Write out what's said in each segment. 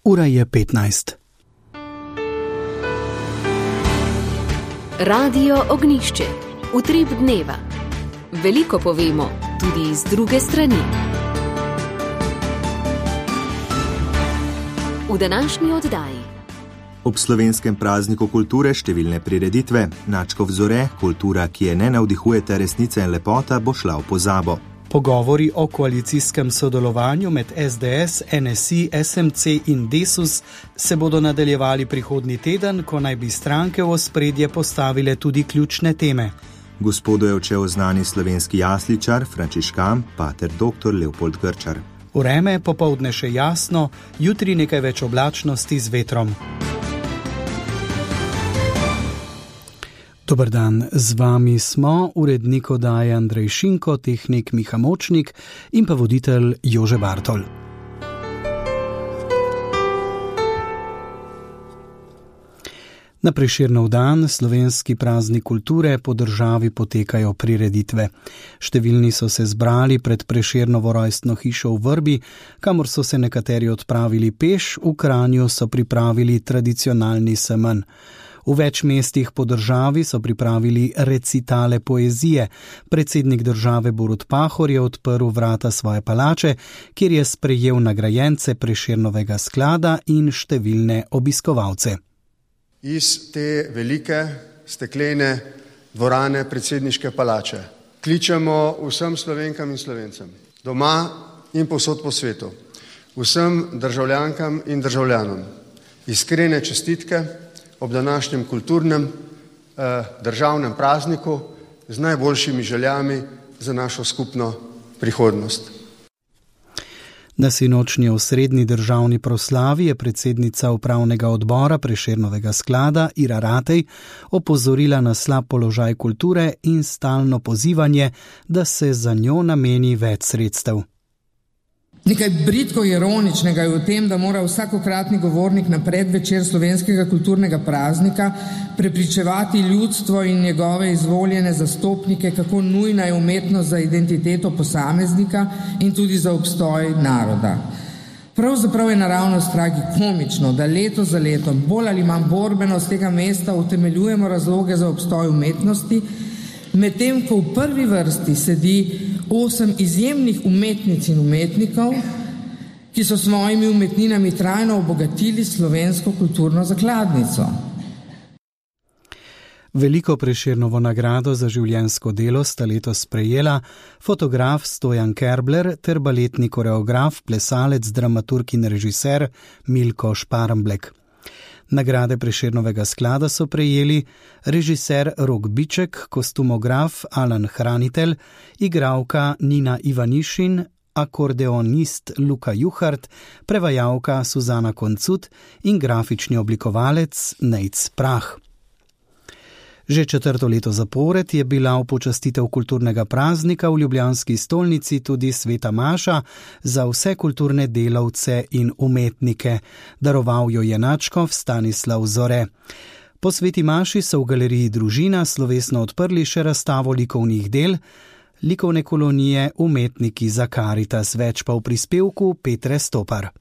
Ura je 15. Radio Ognjišče. Utrip dneva. Veliko povemo, tudi iz druge strani. V današnji oddaji. Ob slovenskem prazniku kulture številne prireditve, Načkov zore, kultura, ki je ne navdihujete resnice in lepota, bo šla v pozabo. Pogovori o koalicijskem sodelovanju med SDS, NSI, SMC in Desus se bodo nadaljevali prihodnji teden, ko naj bi stranke v ospredje postavile tudi ključne teme. Gospodu je odšel znani slovenski jasličar, frančiškan, pater dr. Leopold Grčar. Vreme popoldne še jasno, jutri nekaj več oblačnosti z vetrom. Dober dan, z vami smo urednik oddaje Andrej Šinko, tehnik Miha Močnik in pa voditelj Jože Bartol. Na Prešernov dan, slovenski praznik kulture, po državi potekajo prireditve. Številni so se zbrali pred Prešernovo rojstno hišo v Vrbi, kamor so se nekateri odpravili peš, v Kranju so pripravili tradicionalni semenj. V več mestih po državi so pripravili recitale poezije. Predsednik države Borut Pahor je odprl vrata svoje palače, kjer je sprejel nagrajence Prešernovega sklada in številne obiskovalce. Iz te velike steklene dvorane predsedniške palače kličemo vsem Slovenkam in Slovencem, doma in povsod po svetu, vsem državljankam in državljanom iskrene čestitke ob današnjem kulturnem državnem prazniku z najboljšimi željami za našo skupno prihodnost. Na sinočnji osrednji državni proslavi je predsednica upravnega odbora Prešernovega sklada Ira Ratej opozorila na slab položaj kulture in stalno pozivanje, da se za njo nameni več sredstev. Nekaj bridko ironičnega je v tem, da mora vsakokratni govornik na predvečer slovenskega kulturnega praznika prepričevati ljudstvo in njegove izvoljene zastopnike, kako nujna je umetnost za identiteto posameznika in tudi za obstoj naroda. Pravzaprav je naravnost tragikomično, da leto za letom bolj ali manj borbeno z tega mesta utemeljujemo razloge za obstoj umetnosti, medtem ko v prvi vrsti sedi 8 izjemnih umetnic in umetnikov, ki so svojimi umetninami trajno obogatili slovensko kulturno zakladnico. Veliko Prešernovo nagrado za življenjsko delo sta letos sprejela fotograf Stojan Kerbler ter baletni koreograf, plesalec, dramaturg in režiser Milko Šparmblek. Nagrade Prešernovega sklada so prejeli režiser Rok Biček, kostumograf Alan Hranitelj, igralka Nina Ivanišin, akordeonist Luka Juhart, prevajalka Suzana Koncut in grafični oblikovalec Nejc Prah. Že 4. leto zapored je bila v počastitev kulturnega praznika v ljubljanski stolnici tudi sveta maša za vse kulturne delavce in umetnike. Daroval jo je nadškof Stanislav Zore. Po sveti maši so v galeriji Družina slovesno odprli še razstavo likovnih del, likovne kolonije Umetniki za Karitas, več pa v prispevku Petre Stopar.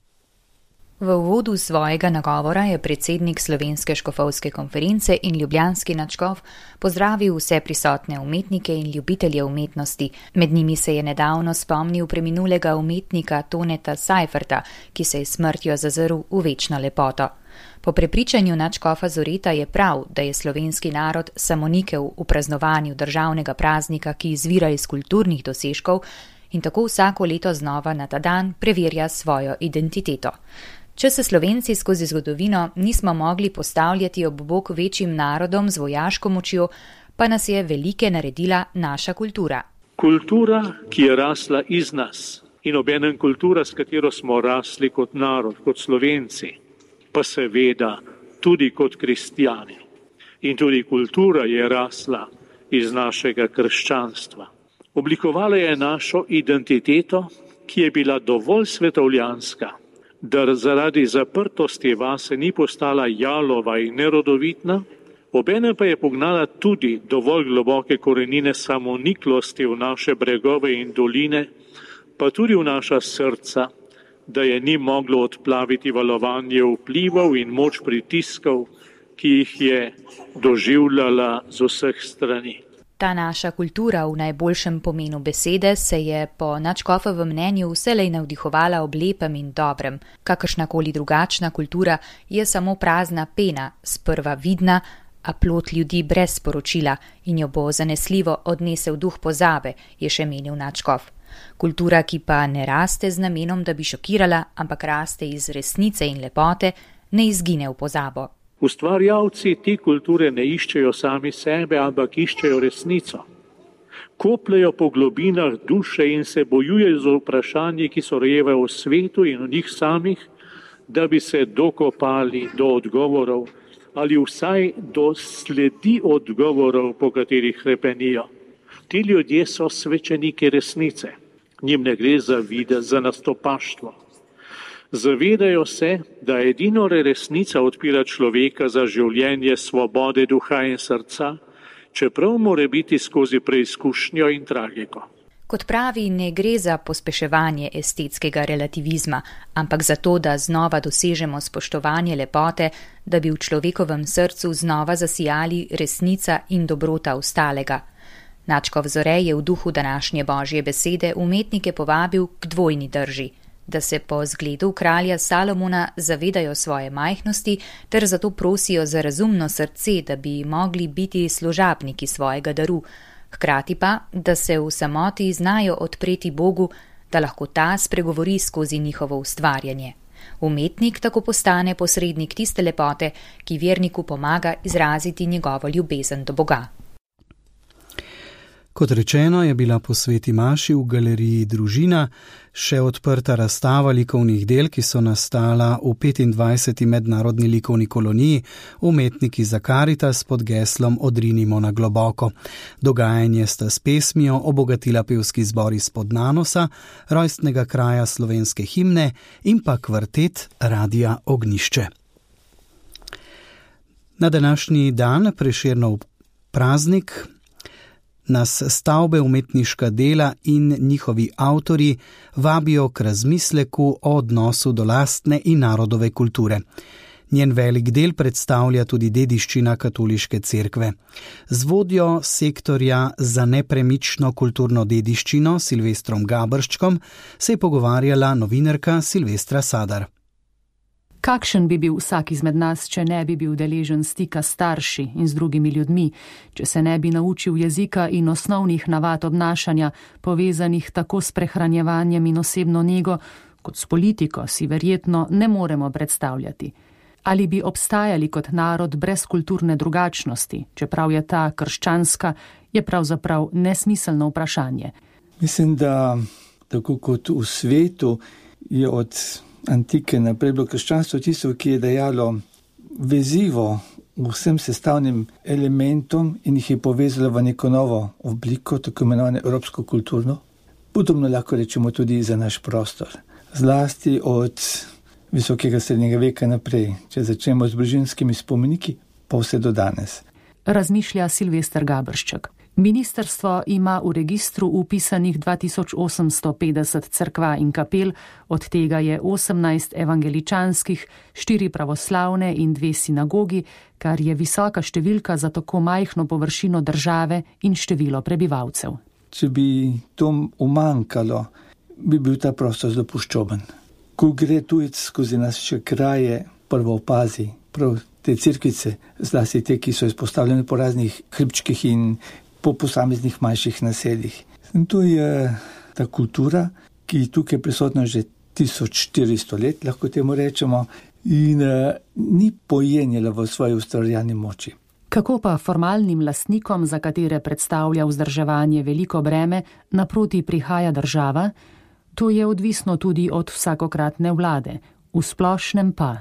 V uvodu svojega nagovora je predsednik Slovenske škofovske konference in ljubljanski nadškof pozdravil vse prisotne umetnike in ljubitelje umetnosti. Med njimi se je nedavno spomnil preminulega umetnika Toneta Seiferta, ki se je smrtjo zazrl v večno lepoto. Po prepričanju nadškofa Zoreta je prav, da je slovenski narod samonikel v praznovanju državnega praznika, ki izvira iz kulturnih dosežkov in tako vsako leto znova na ta dan preverja svojo identiteto. Če se Slovenci skozi zgodovino nismo mogli postavljati ob bok večjim narodom z vojaško močjo, pa nas je velike naredila naša kultura. Kultura, ki je rasla iz nas in obenem kultura, s katero smo rasli kot narod, kot Slovenci, pa seveda tudi kot kristjani. In tudi kultura je rasla iz našega krščanstva. Oblikovala je našo identiteto, ki je bila dovolj svetovljanska, da zaradi zaprtosti vase ni postala jalova in nerodovitna, obenem pa je pognala tudi dovolj globoke korenine samoniklosti v naše bregove in doline, pa tudi v naša srca, da je ni moglo odplaviti valovanje vplivov in moč pritiskov, ki jih je doživljala z vseh strani. Ta naša kultura v najboljšem pomenu besede se je po Nadškofovem mnenju vselej navdihovala ob lepem in dobrem. Kakršnakoli drugačna kultura je samo prazna pena, sprva vidna, a plod ljudi brez sporočila in jo bo zanesljivo odnesel duh pozabe, je še menil Nadškof. Kultura, ki pa ne raste z namenom, da bi šokirala, ampak raste iz resnice in lepote, ne izgine v pozabo. Ustvarjalci te kulture ne iščejo sami sebe, ampak iščejo resnico. Kopljejo po globinah duše in se bojujejo z vprašanji, ki so rojevajo v svetu in v njih samih, da bi se dokopali do odgovorov ali vsaj do sledi odgovorov, po katerih hrepenijo. Ti ljudje so svečeniki resnice. Njim ne gre za videz, za nastopaštvo. Zavedajo se, da edino resnica odpira človeka za življenje svobode duha in srca, čeprav mora biti skozi preizkušnjo in tragiko. Kot pravi, ne gre za pospeševanje estetskega relativizma, ampak za to, da znova dosežemo spoštovanje lepote, da bi v človekovem srcu znova zasijali resnica in dobrota ostalega. Nadškof Zore je v duhu današnje Božje besede umetnike povabil k dvojni drži, da se po zgledu kralja Salomona zavedajo svoje majhnosti ter zato prosijo za razumno srce, da bi mogli biti služabniki svojega daru, hkrati pa, da se v samoti znajo odpreti Bogu, da lahko ta spregovori skozi njihovo ustvarjanje. Umetnik tako postane posrednik tiste lepote, ki verniku pomaga izraziti njegovo ljubezen do Boga. Kot rečeno, je bila po sveti maši v galeriji Družina še odprta razstava likovnih del, ki so nastala v 25. mednarodni likovni koloniji Umetniki za Karitas pod geslom Odrinimo na globoko. Dogajanje sta s pesmijo obogatila pevski zbor iz Podnanosa, rojstnega kraja slovenske himne in pa kvartet Radia Ognjišče. Na današnji dan, Prešernov praznik, nas stavbe, umetniška dela in njihovi avtorji vabijo k razmisleku o odnosu do lastne in narodove kulture. Njen velik del predstavlja tudi dediščina katoliške cerkve. Z vodjo sektorja za nepremično kulturno dediščino Silvestrom Gabrščkom se je pogovarjala novinarka Silvestra Sadar. Kakšen bi bil vsak izmed nas, če ne bi bil deležen stika s starši in z drugimi ljudmi, če se ne bi naučil jezika in osnovnih navad obnašanja, povezanih tako s prehranjevanjem in osebno nego, kot s politiko, si verjetno ne moremo predstavljati. Ali bi obstajali kot narod brez kulturne drugačnosti, čeprav je ta krščanska, je pravzaprav nesmiselno vprašanje. Mislim, da tako kot v svetu je od antike naprej bilo krščanstvo tisto, ki je dajalo vezivo vsem sestavnim elementom in jih je povezalo v neko novo obliko, tako imenovane evropsko kulturno. Podobno lahko rečemo tudi za naš prostor. Zlasti od visokega srednjega veka naprej, če začnemo z Brižinskimi spomeniki, pa vse do danes. Razmišlja Silvester Gabršček. Ministrstvo ima v registru upisanih 2850 cerkva in kapel, od tega je 18 evangeličanskih, 4 pravoslavne in 2 sinagogi, kar je visoka številka za tako majhno površino države in število prebivalcev. Če bi to umanjkalo, bi bil ta prostor zapuščoben. Ko gre tujec skozi naše kraje, prvo opazi prav te cerkvice, zlasti te, ki so izpostavljene po raznih hribčkih in po posameznih manjših naseljih. In to je ta kultura, ki je tukaj prisotna že 1400 let, lahko temu rečemo, in ni pojenjala v svoji ustvarjalni moči. Kako pa formalnim lastnikom, za katere predstavlja vzdrževanje veliko breme, naproti prihaja država? To je odvisno tudi od vsakokratne vlade, v splošnem pa.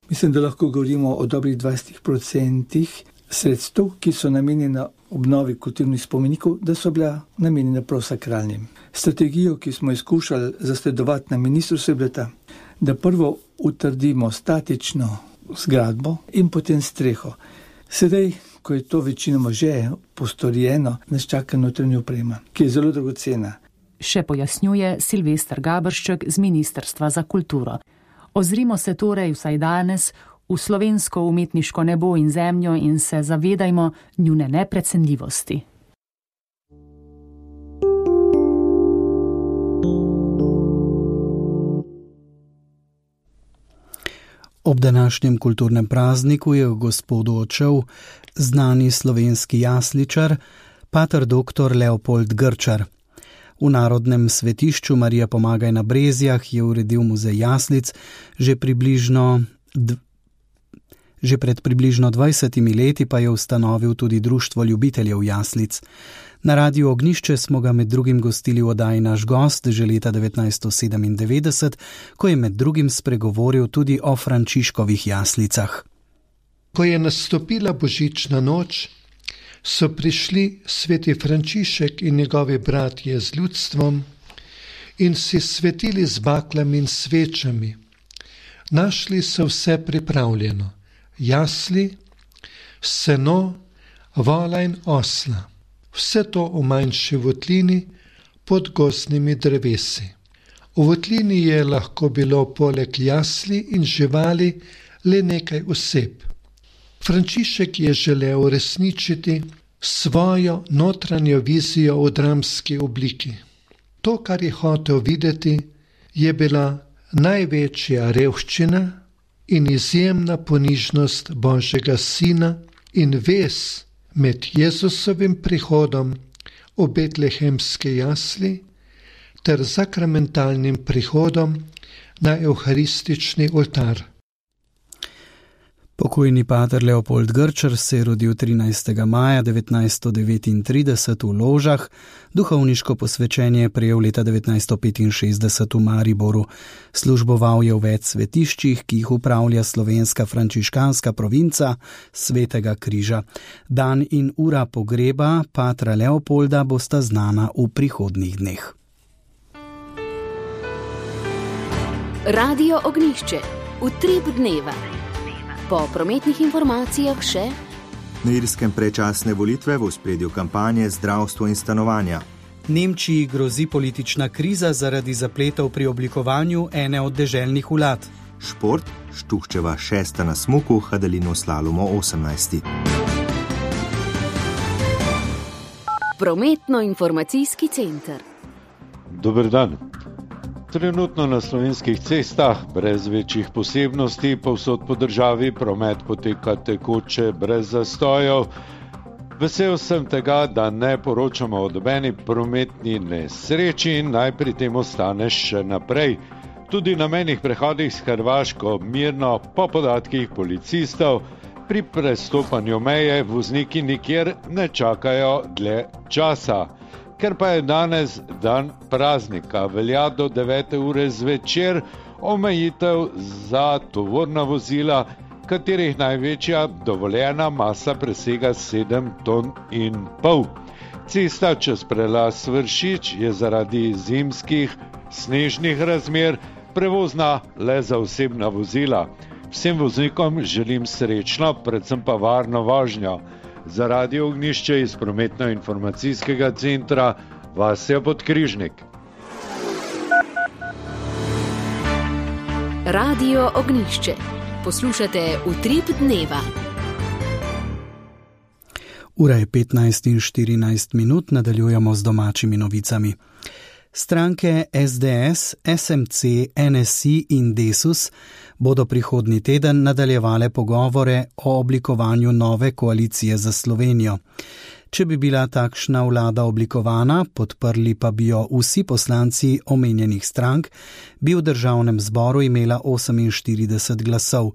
Mislim, da lahko govorimo o dobrih 20% sredstev, ki so namenjena obnovi kulturnih spomenikov, da so bila namenjena prav sakralnim. Strategijo, ki smo izkušali zasledovati na ministrstvu, je bila ta, da prvo utrdimo statično zgradbo in potem streho. Sedaj, ko je to večinoma že postorjeno, nas čaka notranja oprema, ki je zelo dragocena. še pojasnjuje Silvester Gabršček z Ministrstva za kulturo. Ozrimo se torej vsaj danes v slovensko umetniško nebo in zemljo in se zavedajmo njune neprecenljivosti. Ob današnjem kulturnem prazniku je v Gospodu odšel znani slovenski jasličar, pater dr. Leopold Grčar. V Narodnem svetišču Marija Pomagaj na Brezjah je uredil muzej jaslic že pred približno 20 leti pa je ustanovil tudi Društvo ljubiteljev jaslic. Na Radiu Ognjišče smo ga med drugim gostili v oddaji Naš gost že leta 1997, ko je med drugim spregovoril tudi o Frančiškovih jaslicah. Ko je nastopila božična noč, so prišli sveti Frančišek in njegovi bratje z ljudstvom in si svetili z baklami in svečami. Našli so vse pripravljeno, jasli, seno, vola in osla. Vse to v manjši votlini pod gozdnimi drevesi. V votlini je lahko bilo poleg jasli in živali le nekaj oseb. Frančišek je želel uresničiti svojo notranjo vizijo v dramski obliki. To, kar je hotel videti, je bila največja revščina in izjemna ponižnost Božjega Sina in vez med Jezusovim prihodom v betlehemske jasli ter sakramentalnim prihodom na evharistični oltar. Pokojni pater Leopold Grčar se je rodil 13. maja 1939 v Ložah, duhovniško posvečenje je prejel leta 1965 v Mariboru. Služboval je v več svetiščih, ki jih upravlja slovenska frančiškanska provinca Svetega križa. Dan in ura pogreba patra Leopolda bosta znana v prihodnjih dneh. Radio Ognjišče, utrip dneva. Po prometnih informacijah še: na Irskem predčasne volitve, v ospredju kampanje zdravstvo in stanovanja. Nemčiji grozi politična kriza zaradi zapletov pri oblikovanju ene od deželnih vlad. Šport, Štuhčeva 6. na smuku, Hadalino slalomo 18. Prometno-informacijski center. Dober dan. Trenutno na slovenskih cestah brez večjih posebnosti povsod po državi promet poteka tekoče brez zastojev. Vesel sem tega, da ne poročamo o nobeni prometni nesreči in naj pri tem ostane še naprej. Tudi na mejnih prehodih s Hrvaško mirno po podatkih policistov pri prestopanju meje vozniki nikjer ne čakajo dlje časa. Ker pa je danes dan praznika, velja do 9. ure zvečer omejitev za tovorna vozila, katerih največja dovoljena masa presega 7,5 ton. Cesta čez prelaz Vršič je zaradi zimskih snežnih razmer prevozna le za osebna vozila. Vsem voznikom želim srečno, predvsem pa varno vožnjo. Za Radio Ognjišče iz prometno-informacijskega centra Vasja Podkrižnik. Radio Ognjišče. Poslušate utrip dneva. Ura je 15:14, nadaljujemo z domačimi novicami. Stranke SDS, SMC, NSI in Desus bodo prihodnji teden nadaljevale pogovore o oblikovanju nove koalicije za Slovenijo. Če bi bila takšna vlada oblikovana, podprli pa bi jo vsi poslanci omenjenih strank, bi v državnem zboru imela 48 glasov.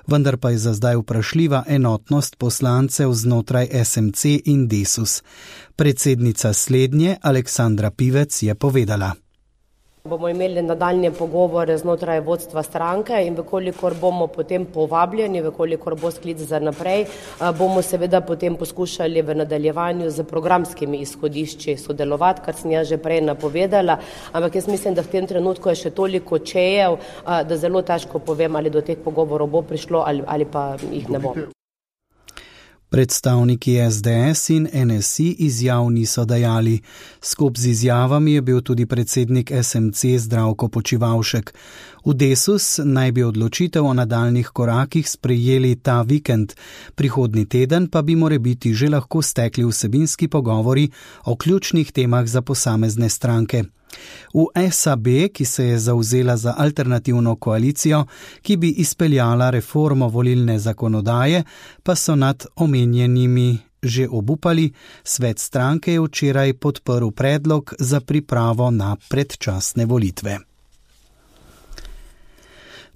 Vendar pa je za zdaj vprašljiva enotnost poslancev znotraj SMC in Desus. Predsednica slednje, Aleksandra Pivec, je povedala: Bomo imeli nadaljnje pogovore znotraj vodstva stranke in vekolikor bomo potem povabljeni, vekolikor bo sklic za naprej, bomo seveda potem poskušali v nadaljevanju z programskimi izhodišči sodelovati, kar sem jaz že prej napovedala, ampak jaz mislim, da v tem trenutku je še toliko čejev, da zelo težko povem, ali do teh pogovorov bo prišlo ali pa jih ne bo. Predstavniki SDS in NSI izjav niso dajali. Skup z izjavami je bil tudi predsednik SMC Zdravko Počivalšek. V Desus naj bi odločitev o nadaljnih korakih sprejeli ta vikend. Prihodnji teden pa bi morebiti že lahko stekli vsebinski pogovori o ključnih temah za posamezne stranke. V SAB, ki se je zavzela za alternativno koalicijo, ki bi izpeljala reformo volilne zakonodaje, pa so nad omenjenimi že obupali. Svet stranke je včeraj podprl predlog za pripravo na predčasne volitve.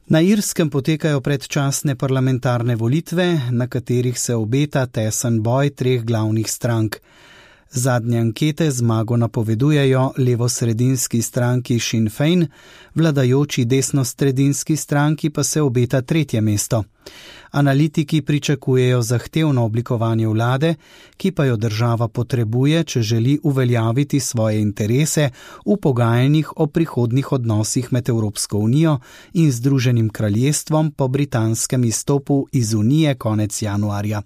Na Irskem potekajo predčasne parlamentarne volitve, na katerih se obeta tesen boj treh glavnih strank. Zadnje ankete zmago napovedujejo levosredinski stranki Sinn Féin, vladajoči desnosredinski stranki pa se obeta tretje mesto. Analitiki pričakujejo zahtevno oblikovanje vlade, ki pa jo država potrebuje, če želi uveljaviti svoje interese v pogajanjih o prihodnjih odnosih med Evropsko unijo in Združenim kraljestvom po britanskem izstopu iz Unije konec januarja.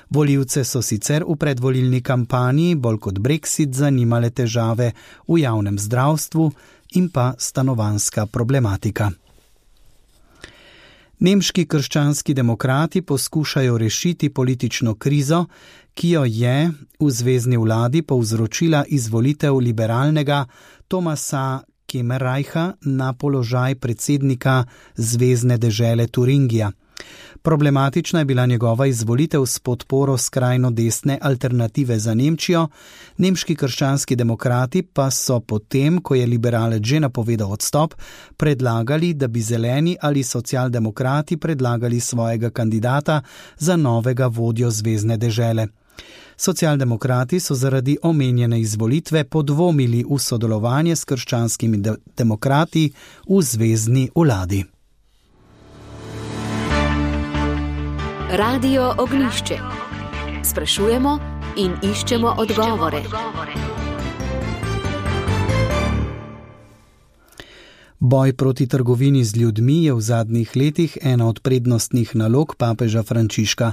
Volivce so sicer v predvolilni kampanji bolj kot Brexit zanimale težave v javnem zdravstvu in pa stanovanjska problematika. Nemški krščanski demokrati poskušajo rešiti politično krizo, ki jo je v zvezni vladi povzročila izvolitev liberalnega Thomasa Kemmerreicha na položaj predsednika zvezne dežele Turingija. Problematična je bila njegova izvolitev s podporo skrajno desne Alternative za Nemčijo, nemški krščanski demokrati pa so potem, ko je liberalec že napovedal odstop, predlagali, da bi zeleni ali socialdemokrati predlagali svojega kandidata za novega vodjo zvezne dežele. Socialdemokrati so zaradi omenjene izvolitve podvomili v sodelovanje s krščanskimi demokrati v zvezni vladi. Radio Ognjišče. Sprašujemo in iščemo odgovore. Boj proti trgovini z ljudmi je v zadnjih letih ena od prednostnih nalog papeža Frančiška.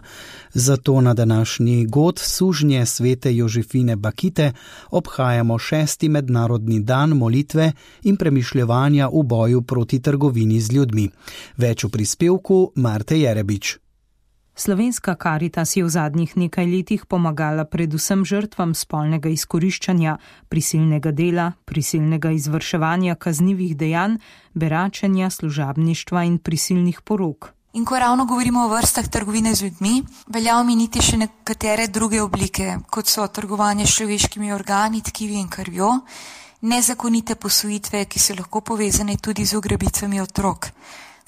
Zato na današnji god sužnje svete Jožefine Bakite obhajamo 6. mednarodni dan molitve in premišljevanja v boju proti trgovini z ljudmi. Več v prispevku Marte Jerebič. Slovenska Karitas je v zadnjih nekaj letih pomagala predvsem žrtvam spolnega izkoriščanja, prisilnega dela, prisilnega izvrševanja kaznivih dejanj, beračenja, služabništva in prisilnih porok. In ko ravno govorimo o vrstah trgovine z ljudmi, velja omeniti še nekatere druge oblike, kot so trgovanje s človeškimi organi, tkivi in krvjo, nezakonite posvojitve, ki so lahko povezane tudi z ugrabicami otrok.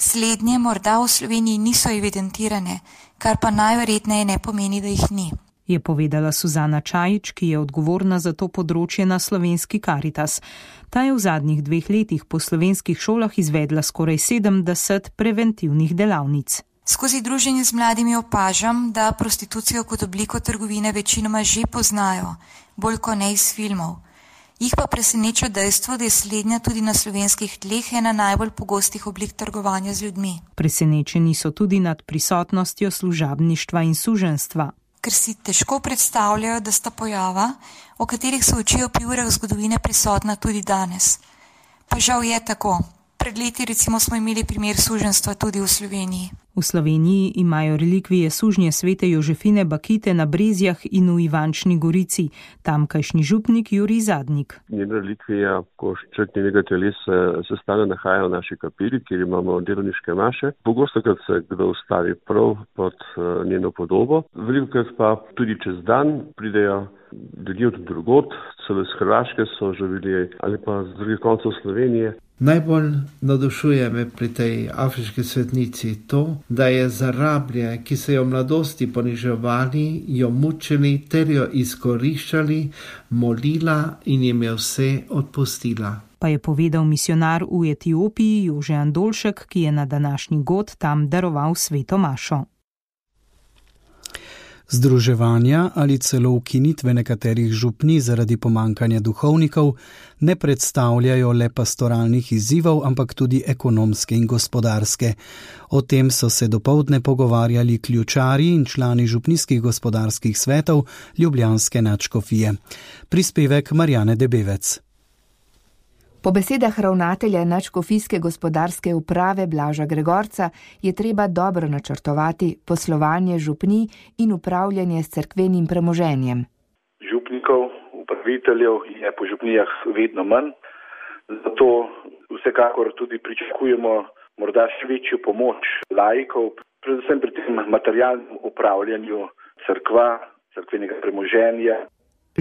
Slednje morda v Sloveniji niso evidentirane, kar pa najverjetneje ne pomeni, da jih ni. Je povedala Suzana Čajič, ki je odgovorna za to področje na Slovenski Karitas. Ta je v zadnjih 2 letih po slovenskih šolah izvedla skoraj 70 preventivnih delavnic. Skozi druženje z mladimi opažam, da prostitucijo kot obliko trgovine večinoma že poznajo, bolj kot ne iz filmov. Jih pa preseneča dejstvo, da je slednja tudi na slovenskih tleh ena najbolj pogostih oblik trgovanja z ljudmi. Presenečeni so tudi nad prisotnostjo služabništva in suženjstva. Ker si težko predstavljajo, da sta pojava, o katerih se učijo pri urah zgodovine, prisotna tudi danes. Pa žal je tako. Pred leti recimo smo imeli primer suženjstva tudi v Sloveniji. V Sloveniji imajo relikvije sužnje svete Jožefine Bakite na Brezjah in v Ivančni Gorici, tamkajšnji župnik Jurij Zadnik. Njena relikvija košček njenega telesa se stalno nahaja v naši kapeli, kjer imamo delovniške maše. Pogostokrat se kdo ustavi prav pod njeno podobo. Velikokrat pa tudi čez dan pridejo ljudje od drugod, celo iz Hrvaške so že bili ali pa z drugih koncev Slovenije. Najbolj navdušuje me pri tej afriški svetnici to, da je za rablje, ki se jo v mladosti poniževali, jo mučili ter jo izkoriščali, molila in jim je vse odpustila. Pa je povedal misionar v Etiopiji Jože Andolšek, ki je na današnji god tam daroval sveto mašo. Združevanja ali celo ukinitve nekaterih župnij zaradi pomankanja duhovnikov ne predstavljajo le pastoralnih izzivov, ampak tudi ekonomske in gospodarske. O tem so se dopoldne pogovarjali ključarji in člani župnijskih gospodarskih svetov ljubljanske nadškofije. Prispevek Marjane Debevec. Po besedah ravnatelja nadškofijske gospodarske uprave Blaža Gregorca je treba dobro načrtovati poslovanje župnij in upravljanje s cerkvenim premoženjem. Župnikov, upraviteljev je po župnijah vedno manj, zato vsekakor tudi pričakujemo morda še večjo pomoč laikov, predvsem pri tem materialnem upravljanju cerkva, cerkvenega premoženja.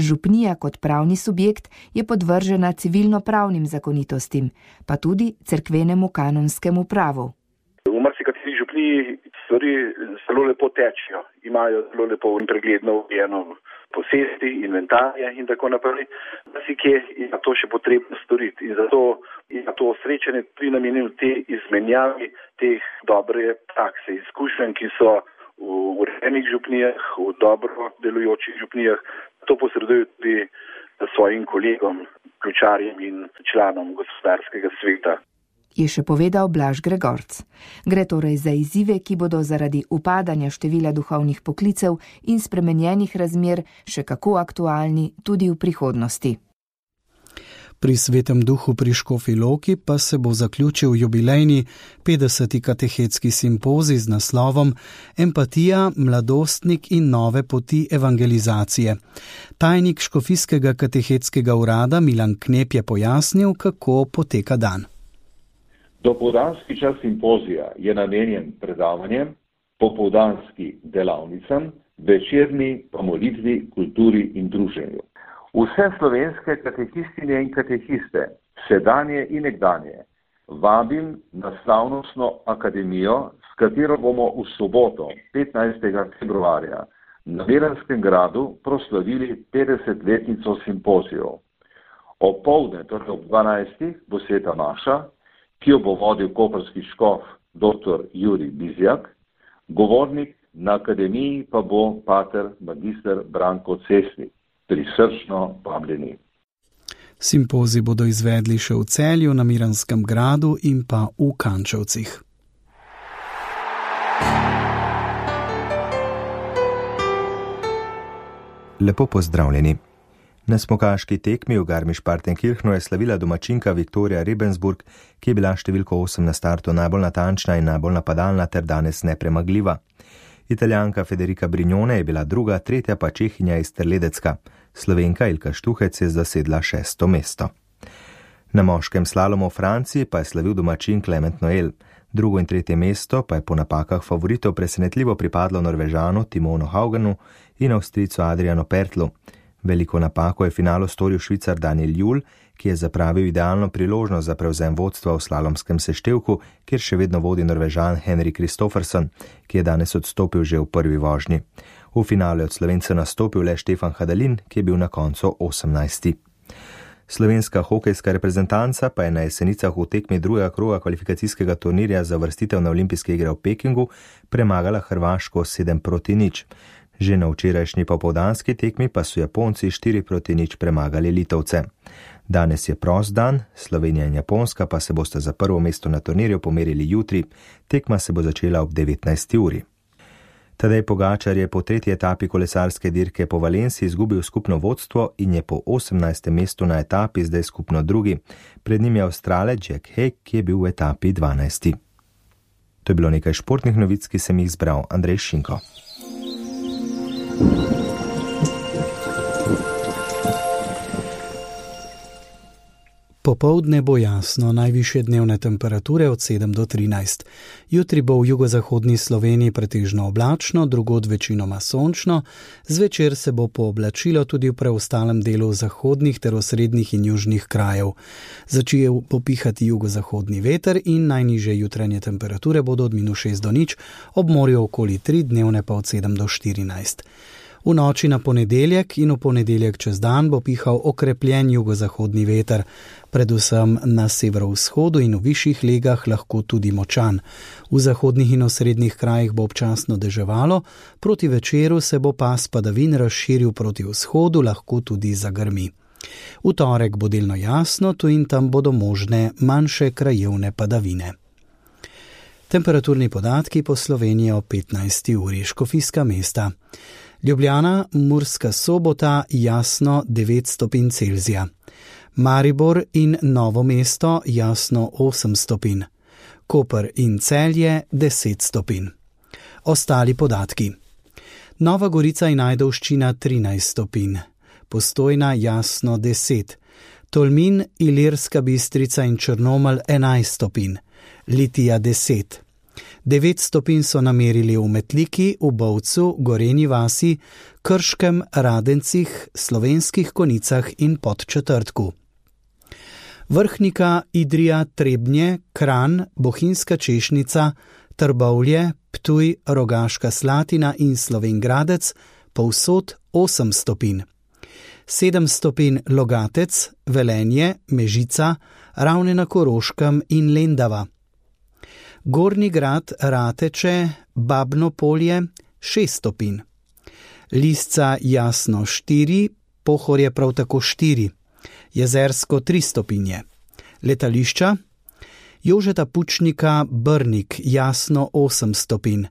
Župnija kot pravni subjekt je podvržena civilno-pravnim zakonitostim, pa tudi cerkvenemu kanonskemu pravu. V marsikateri župniji stvari zelo lepo tečejo, imajo zelo lepo in pregledno urejeno posesti, inventarje in tako naprej. Marsikje je to še potrebno storiti in zato je to srečanje tudi namenjeno te izmenjavi teh dobre prakse, izkušenj, ki so v urejenih župnijah, v dobro delujočih župnijah. To posredujo tudi svojim kolegom, ključarjem in članom gospodarskega sveta. Je še povedal Blaž Gregorc. Gre torej za izzive, ki bodo zaradi upadanja števila duhovnih poklicev in spremenjenih razmer še kako aktualni tudi v prihodnosti. Pri Svetem duhu pri Škofji Loki pa se bo zaključil jubilejni 50. katehetski simpozij z naslovom Empatija, mladostnik in nove poti evangelizacije. Tajnik Škofijskega katehetskega urada Milan Knep je pojasnil, kako poteka dan. Dopoldanski čas simpozija je namenjen predavanjem, popoldanski delavnicam, večerni pa molitvi, kulturi in druženju. Vse slovenske katehistinje in katehiste, sedanje in nekdanje, vabim na slavnostno akademijo, s katero bomo v soboto, 15. februarja, na Veranskem gradu proslavili 50-letnico simpozijev. Opoldne, torej ob 12. bo sveta maša, ki jo bo vodil koprski škof dr. Jurij Bizjak, govornik na akademiji pa bo pater magister Branko Cesnik. Prisrčno vabljeni. Simpozij bodo izvedli še v Celju, na Miranskem gradu in pa v Kančevcih. Lepo pozdravljeni. Na smukaški tekmi v Garmisch-Partenkirchenu je slavila domačinka Viktorija Rebensburg, ki je bila številko 8 na startu najbolj natančna in najbolj napadalna ter danes nepremagljiva. Italijanka Federica Brignone je bila druga, tretja pa Čehinja iz Terledecka. Slovenka Ilka Štuhec je zasedla 6. mesto. Na moškem slalomu v Franciji pa je slavil domačin Clement Noel. Drugo in tretje mesto pa je po napakah favoritov presenetljivo pripadlo Norvežanu Timonu Haugenu in Avstrijcu Adrianu Pertlu. Veliko napako je v finalu storil Švicar Daniel Juhl, ki je zapravil idealno priložnost za prevzem vodstva v slalomskem seštevku, kjer še vedno vodi Norvežan Henrik Kristoffersen, ki je danes odstopil že v prvi vožnji. V finalu je od Slovenca nastopil le Štefan Hadalin, ki je bil na koncu 18. Slovenska hokejska reprezentanca pa je na Jesenicah v tekmi drugega kroga kvalifikacijskega turnirja za vrstitev na olimpijske igre v Pekingu premagala Hrvaško 7-0. Že na včerajšnji popoldanski tekmi pa so Japonci 4-0 premagali Litovce. Danes je prost dan, Slovenija in Japonska pa se bosta za prvo mesto na turnirju pomerili jutri, tekma se bo začela ob 19. uri. Tadej Pogačar je po tretji etapi kolesarske dirke po Valenciji izgubil skupno vodstvo in je po 18. mestu na etapi zdaj skupno drugi. Pred njim je Avstralec Jack Haig, ki je bil v etapi 12. To je bilo nekaj športnih novic, ki sem jih zbral. Andrej Šinko. Popoldne bo jasno, najvišje dnevne temperature od 7 do 13. Jutri bo v jugozahodni Sloveniji pretežno oblačno, drugod večinoma sončno, zvečer se bo pooblačilo tudi v preostalem delu zahodnih ter osrednjih in južnih krajev. Začel bo pihati jugozahodni veter in najnižje jutranje temperature bodo od -6 do 0, ob morju okoli 3, dnevne pa od 7 do 14. V noči na ponedeljek in v ponedeljek čez dan bo pihal okrepljen jugozahodni veter, predvsem na severovzhodu in v višjih legah lahko tudi močan. V zahodnih in osrednjih krajih bo občasno deževalo, proti večeru se bo pas padavin razširil proti vzhodu, lahko tudi zagrmi. V torek bo delno jasno, tu in tam bodo možne manjše krajevne padavine. Temperaturni podatki po Sloveniji o 15. uri. Škofijska mesta. Ljubljana, Murska Sobota, jasno 9 stopinj Celzija. Maribor in Novo mesto, jasno 8 stopinj. Koper in Celje 10 stopinj. Ostali podatki. Nova Gorica in Ajdovščina 13 stopinj. Postojna, jasno 10. Tolmin, Ilirska Bistrica in Črnomelj 11 stopinj. Litija 10. 9 stopinj so namerili v Metliki, v Bovcu, Gorenji vasi, Krškem, Radencih, Slovenskih Konicah in Podčetrtku. Vrhnika, Idrija, Trebnje, Kranj, Bohinjska Češnica, Trbovlje, Ptuj, Rogaška Slatina in Slovenj Gradec, povsod 8 stopinj. 7 stopinj Logatec, Velenje, Mežica, Ravne na Koroškem in Lendava. Gornji Grad, Rateče, Babno Polje 6 stopinj. Lisca, jasno 4, Pohorje prav tako 4. Jezersko 3 stopinje. Letališča, Jožeta Pučnika, Brnik, jasno 8 stopinj.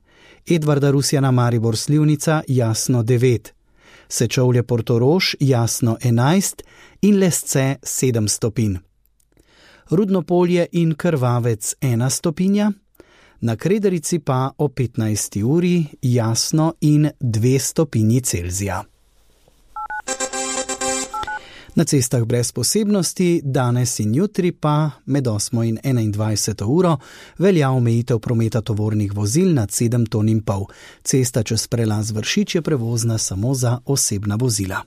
Edvarda Rusjana, Maribor Slivnica, jasno 9. Sečovlje Portorož, jasno 11 in Lesce 7 stopinj. Rudnopolje in Krvavec 1 stopinja, na Krederici pa o 15. uri jasno in 2 stopinji Celzija. Na cestah brez posebnosti, danes in jutri pa med 8. in 21. uro velja omejitev prometa tovornih vozil nad 7,5 ton. Cesta čez prelaz Vršič je prevozna samo za osebna vozila.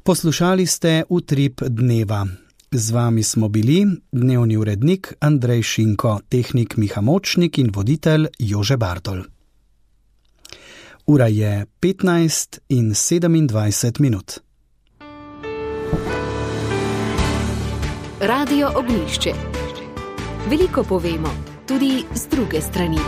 Poslušali ste Utrip dneva. Z vami smo bili dnevni urednik Andrej Šinko, tehnik Miha Močnik in voditelj Jože Bartol. Ura je 15 in 27 minut. Radio Ognjišče. Veliko povemo, tudi z druge strani.